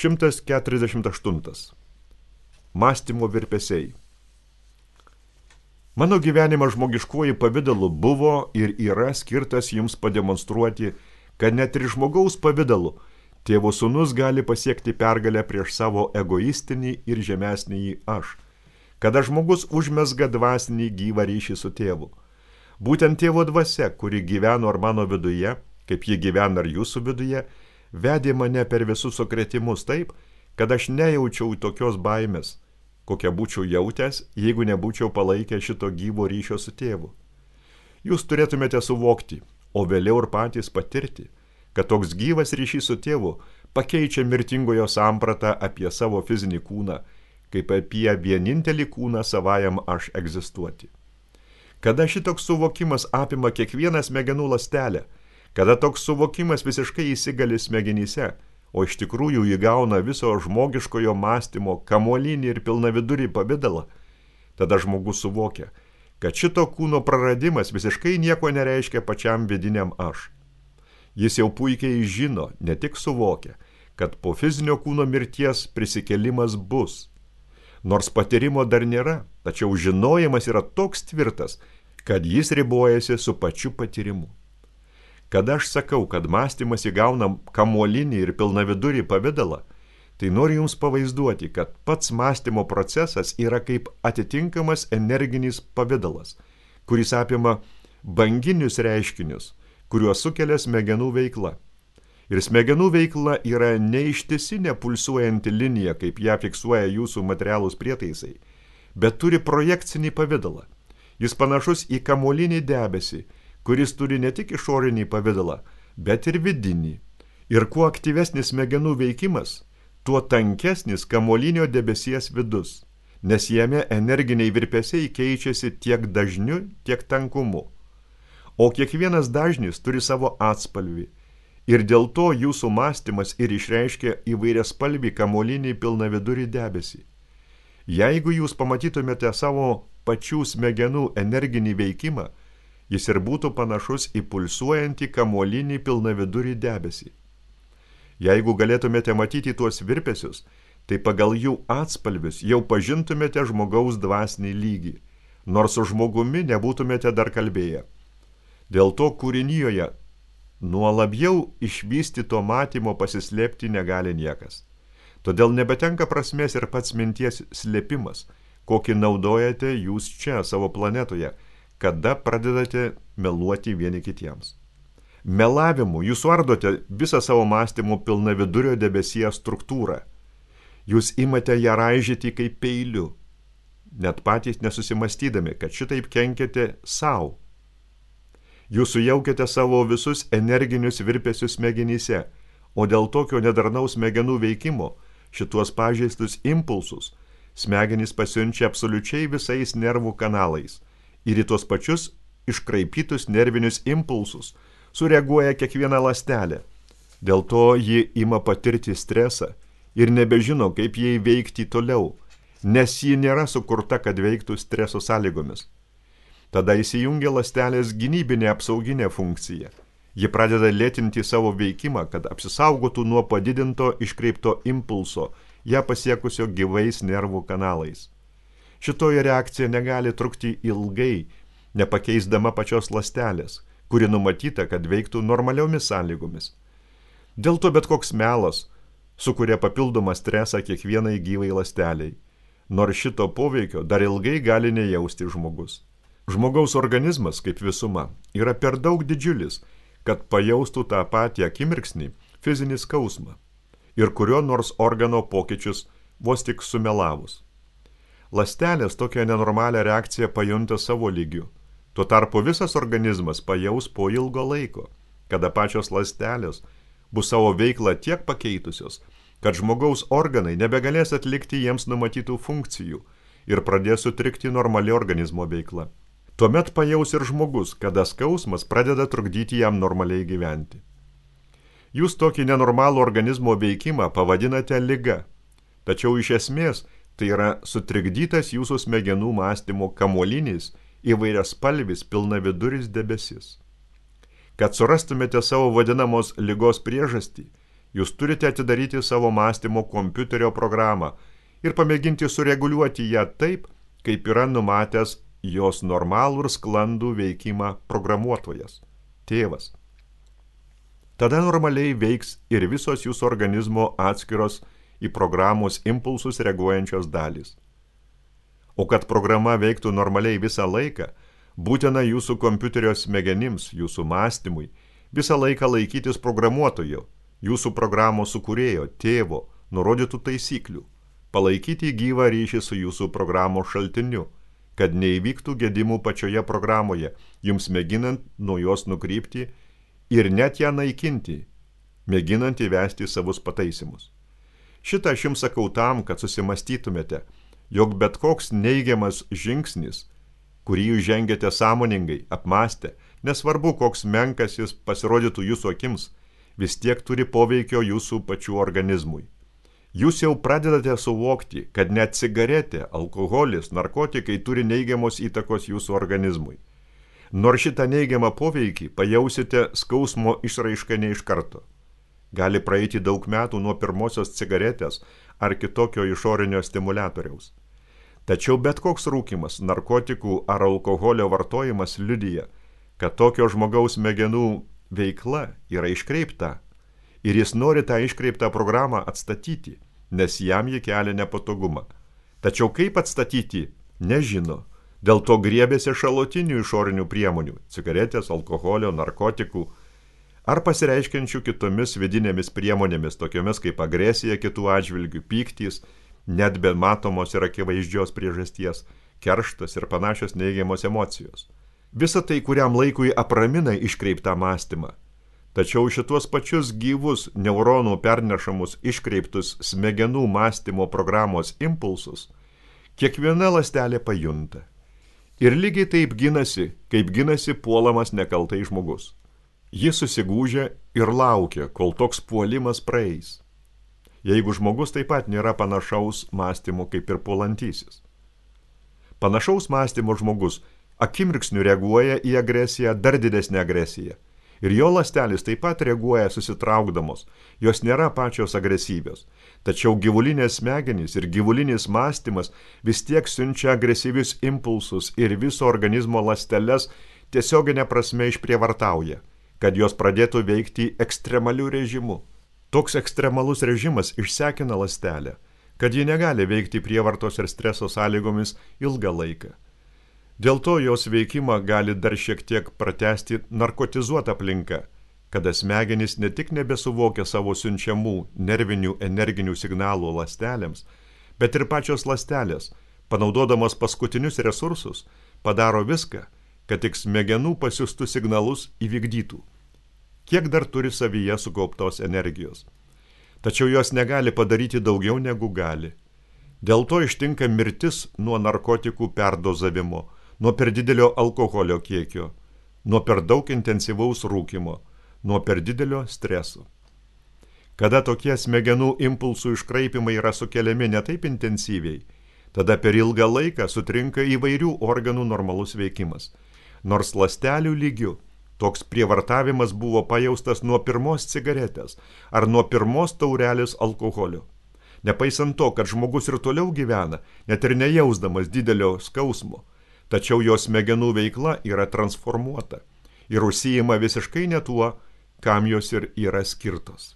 148. Mąstymo virpesiai. Mano gyvenimas žmogiškuoju pavidalu buvo ir yra skirtas jums pademonstruoti, kad net ir žmogaus pavidalu Tėvo sūnus gali pasiekti pergalę prieš savo egoistinį ir žemesnįjį aš, kada žmogus užmezga dvasinį gyvą ryšį su tėvu. Būtent tėvo dvasia, kuri gyveno ar mano viduje, kaip ji gyvena ar jūsų viduje, vedė mane per visus sukrėtimus taip, kad aš nejaučiau tokios baimės, kokią būčiau jautęs, jeigu nebūčiau palaikę šito gyvo ryšio su tėvu. Jūs turėtumėte suvokti, o vėliau ir patys patirti, kad toks gyvas ryšys su tėvu pakeičia mirtingojo sampratą apie savo fizinį kūną, kaip apie vienintelį kūną savajam aš egzistuoti. Kada šitoks suvokimas apima kiekvieną smegenų ląstelę, kada toks suvokimas visiškai įsigali smegenyse, o iš tikrųjų įgauna viso žmogiškojo mąstymo kamuolinį ir pilnavidurį pavidalą, tada žmogus suvokia, kad šito kūno praradimas visiškai nieko nereiškia pačiam vidiniam aš. Jis jau puikiai žino, ne tik suvokia, kad po fizinio kūno mirties prisikėlimas bus. Nors patyrimo dar nėra, tačiau žinojimas yra toks tvirtas, kad jis ribojasi su pačiu patyrimu. Kada aš sakau, kad mąstymas įgauna kamuolinį ir pilnavidurį pavidalą, tai noriu jums pavaizduoti, kad pats mąstymo procesas yra kaip atitinkamas energinis pavidalas, kuris apima banginius reiškinius, kuriuos sukelia smegenų veikla. Ir smegenų veikla yra neištisinė pulsuojanti linija, kaip ją fiksuoja jūsų materialūs prietaisai, bet turi projekcinį pavidalą. Jis panašus į kamuolinį debesį, kuris turi ne tik išorinį pavidalą, bet ir vidinį. Ir kuo aktyvesnis smegenų veikimas, tuo tankesnis kamuolinio debesies vidus, nes jame energiniai virpesiai keičiasi tiek dažniu, tiek tankumu. O kiekvienas dažnis turi savo atspalvį ir dėl to jūsų mąstymas ir išreiškia įvairiaspalvį kamuolinį pilnavidurį debesį. Jeigu jūs pamatytumėte savo pačių smegenų energinį veikimą, jis ir būtų panašus į pulsuojantį kamuolinį pilnavidurį debesį. Jeigu galėtumėte matyti tuos virpesius, tai pagal jų atspalvius jau pažintumėte žmogaus dvasinį lygį, nors su žmogumi nebūtumėte dar kalbėję. Dėl to kūrinijoje nuo labiau išvystyto matymo pasislėpti negali niekas. Todėl nebetenka prasmės ir pats minties slėpimas, kokį naudojate jūs čia savo planetoje, kada pradedate meluoti vieni kitiems. Melavimu jūs suardote visą savo mąstymo pilnavidurio debesies struktūrą. Jūs imate ją raižyti kaip peiliu, net patys nesusimastydami, kad šitaip kenkiate savo. Jūs sujaukiate savo visus energinius virpesius smegenyse, o dėl tokio nedarnaus smegenų veikimo šituos pažeistus impulsus smegenys pasiunčia absoliučiai visais nervų kanalais ir į tuos pačius iškraipytus nervinius impulsus sureaguoja kiekviena ląstelė. Dėl to ji ima patirti stresą ir nebežino, kaip jai veikti toliau, nes ji nėra sukurta, kad veiktų streso sąlygomis. Tada įsijungia ląstelės gynybinė apsauginė funkcija. Ji pradeda lėtinti savo veikimą, kad apsisaugotų nuo padidinto iškreipto impulso, ją pasiekusio gyvais nervų kanalais. Šitoji reakcija negali trukti ilgai, nepakeisdama pačios ląstelės, kuri numatyta, kad veiktų normaliomis sąlygomis. Dėl to bet koks melas sukuria papildomą stresą kiekvienai gyvai ląsteliai, nors šito poveikio dar ilgai gali nejausti žmogus. Žmogaus organizmas, kaip visuma, yra per daug didžiulis, kad pajaustų tą patį akimirksnį fizinį skausmą ir kurio nors organo pokyčius vos tik sumelavus. Ląstelės tokią nenormalią reakciją pajunta savo lygiu. Tuo tarpu visas organizmas pajaus po ilgo laiko, kada pačios ląstelės bus savo veiklą tiek pakeitusios, kad žmogaus organai nebegalės atlikti jiems numatytų funkcijų ir pradės sutrikti normali organizmo veikla. Tuomet pajaus ir žmogus, kada skausmas pradeda trukdyti jam normaliai gyventi. Jūs tokį nenormalų organizmo veikimą pavadinate liga, tačiau iš esmės tai yra sutrikdytas jūsų smegenų mąstymo kamuolinis įvairiaspalvis pilnaviduris debesis. Kad surastumėte savo vadinamos ligos priežastį, Jūs turite atidaryti savo mąstymo kompiuterio programą ir pamėginti sureguliuoti ją taip, kaip yra numatęs jos normalų ir sklandų veikimą programuotojas, tėvas. Tada normaliai veiks ir visos jūsų organizmo atskiros į programos impulsus reaguojančios dalys. O kad programa veiktų normaliai visą laiką, būtina jūsų kompiuterio smegenims, jūsų mąstymui, visą laiką laikytis programuotojo, jūsų programos sukūrėjo, tėvo, nurodytų taisyklių, palaikyti gyvą ryšį su jūsų programos šaltiniu, kad neįvyktų gedimų pačioje programoje, jums mėginant nuo jos nukrypti ir net ją naikinti, mėginant įvesti savus pataisymus. Šitą aš jums sakau tam, kad susimastytumėte, jog bet koks neigiamas žingsnis, kurį jūs žengėte sąmoningai, apmąstę, nesvarbu, koks menkas jis pasirodytų jūsų akims, vis tiek turi poveikio jūsų pačių organizmui. Jūs jau pradedate suvokti, kad net cigaretė, alkoholis, narkotikai turi neigiamos įtakos jūsų organizmui. Nors šitą neigiamą poveikį pajausite skausmo išraišką ne iš karto. Gali praeiti daug metų nuo pirmosios cigaretės ar kitokio išorinio stimuliatoriaus. Tačiau bet koks rūkymas, narkotikų ar alkoholio vartojimas liudija, kad tokio žmogaus smegenų veikla yra iškreipta ir jis nori tą iškreiptą programą atstatyti, nes jam ji kelia nepatogumą. Tačiau kaip atstatyti, nežino. Dėl to griebėsi šalutinių išorinių priemonių – cigaretės, alkoholio, narkotikų ar pasireiškiančių kitomis vidinėmis priemonėmis, tokiomis kaip agresija kitų atžvilgių, pyktys, net be matomos ir akivaizdžios priežasties, kerštas ir panašios neigiamos emocijos. Visa tai kuriam laikui apramina iškreiptą mąstymą. Tačiau šituos pačius gyvus neuronų pernešamus iškreiptus smegenų mąstymo programos impulsus kiekviena ląstelė pajunta. Ir lygiai taip ginasi, kaip ginasi puolamas nekaltai žmogus. Jis susigūžia ir laukia, kol toks puolimas praeis. Jeigu žmogus taip pat nėra panašaus mąstymo kaip ir puolantysis. Panašaus mąstymo žmogus akimirksniu reaguoja į agresiją, dar didesnę agresiją. Ir jo ląstelės taip pat reaguoja susitraukdamos, jos nėra pačios agresyvios. Tačiau gyvulinės smegenys ir gyvulinis mąstymas vis tiek siunčia agresyvius impulsus ir viso organizmo ląsteles tiesioginė prasme išprievartauja, kad jos pradėtų veikti ekstremaliu režimu. Toks ekstremalus režimas išsekina ląstelę, kad ji negali veikti prievartos ir streso sąlygomis ilgą laiką. Dėl to jos veikimą gali dar šiek tiek pratęsti narkotizuota aplinka, kada smegenys ne tik nebesuvokia savo siunčiamų nervinių energinių signalų ląstelėms, bet ir pačios ląstelės, panaudodamos paskutinius resursus, padaro viską, kad tik smegenų pasiųstų signalus įvykdytų. Kiek dar turi savyje sukauptos energijos. Tačiau jos negali padaryti daugiau negu gali. Dėl to ištinka mirtis nuo narkotikų perdozavimo, nuo per didelio alkoholio kiekio, nuo per daug intensyvaus rūkymo, nuo per didelio streso. Kada tokie smegenų impulsų iškraipimai yra sukeliami ne taip intensyviai, tada per ilgą laiką sutrinka įvairių organų normalus veikimas. Nors ląstelių lygių toks prievartavimas buvo pajaustas nuo pirmos cigaretės ar nuo pirmos taurelės alkoholio. Nepaisant to, kad žmogus ir toliau gyvena, net ir nejausdamas didelio skausmo, tačiau jo smegenų veikla yra transformuota ir užsiima visiškai ne tuo, kam jos ir yra skirtos.